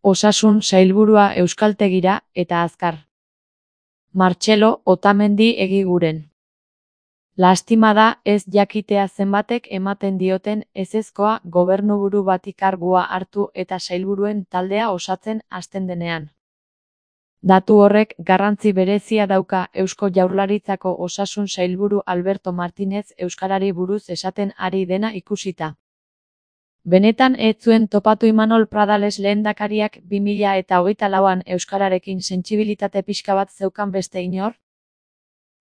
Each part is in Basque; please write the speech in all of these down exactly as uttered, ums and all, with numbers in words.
Osasun sailburua euskaltegira eta azkar. Martxelo Otamendi Egiguren. Lastima da ez jakitea zenbatek ematen dioten ezezkoa gobernuburu bati kargua hartu eta sailburuen taldea osatzen hasten denean. Datu horrek garrantzi berezia dauka Eusko Jaurlaritzako osasun sailburu Alberto Martinez euskarari buruz esaten ari dena ikusita. Benetan ez zuen topatu Imanol Pradales lehendakariak bi mila eta hogeita lauan euskararekin sentsibilitate pixka bat zeukan beste inor?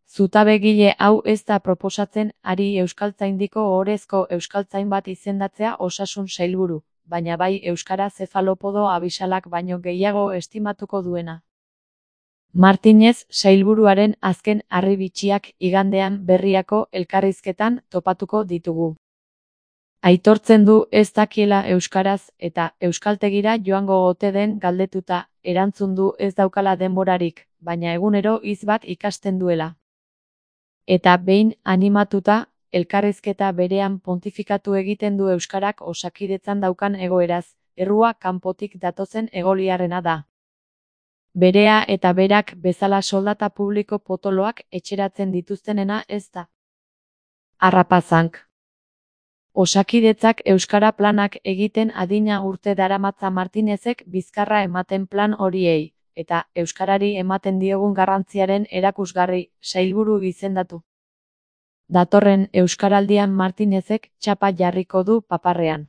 Zutabegile hau ez da proposatzen ari euskaltzaindiko ohorezko euskaltzain bat izendatzea osasun sailburu, baina bai euskara zefalopodo abisalak baino gehiago estimatuko duena. Martinez sailburuaren azken harribitxiak igandean Berriako elkarrizketan topatuko ditugu. Aitortzen du ez dakiela euskaraz eta euskaltegira joango ote den galdetuta, erantzun du ez daukala denborarik, baina egunero hitz bat ikasten duela. Eta behin animatuta, elkarrizketa berean pontifikatu egiten du euskarak Osakidetzan daukan egoeraz, errua kanpotik datozen egoliarrena da. Berea eta berak bezala soldata publiko potoloak etxeratzen dituztenena ez da. Harrapazank. Osakidetzak euskara planak egiten adina urte daramatza Martinezek bizkarra ematen plan horiei, eta euskarari ematen diogun garrantziaren erakusgarri, sailburu izendatu. Datorren euskaraldian Martinezek txapa jarriko du paparrean.